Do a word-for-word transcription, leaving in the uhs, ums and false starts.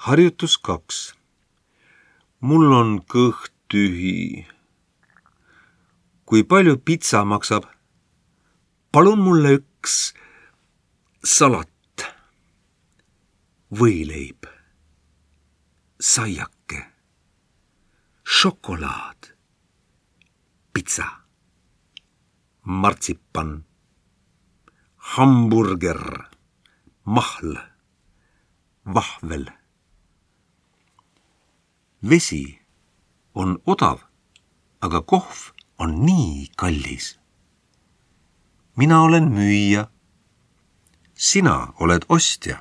Harjutus kaks. Mul on kõht tühi. Kui palju pitsa maksab? Palun mulle üks salat, võileib, saiake, šokolaad, pitsa, martsipan, hamburger, mahl, vahvel. Vesi on odav, aga kohv on nii kallis. Mina olen müüja. Sina oled ostja.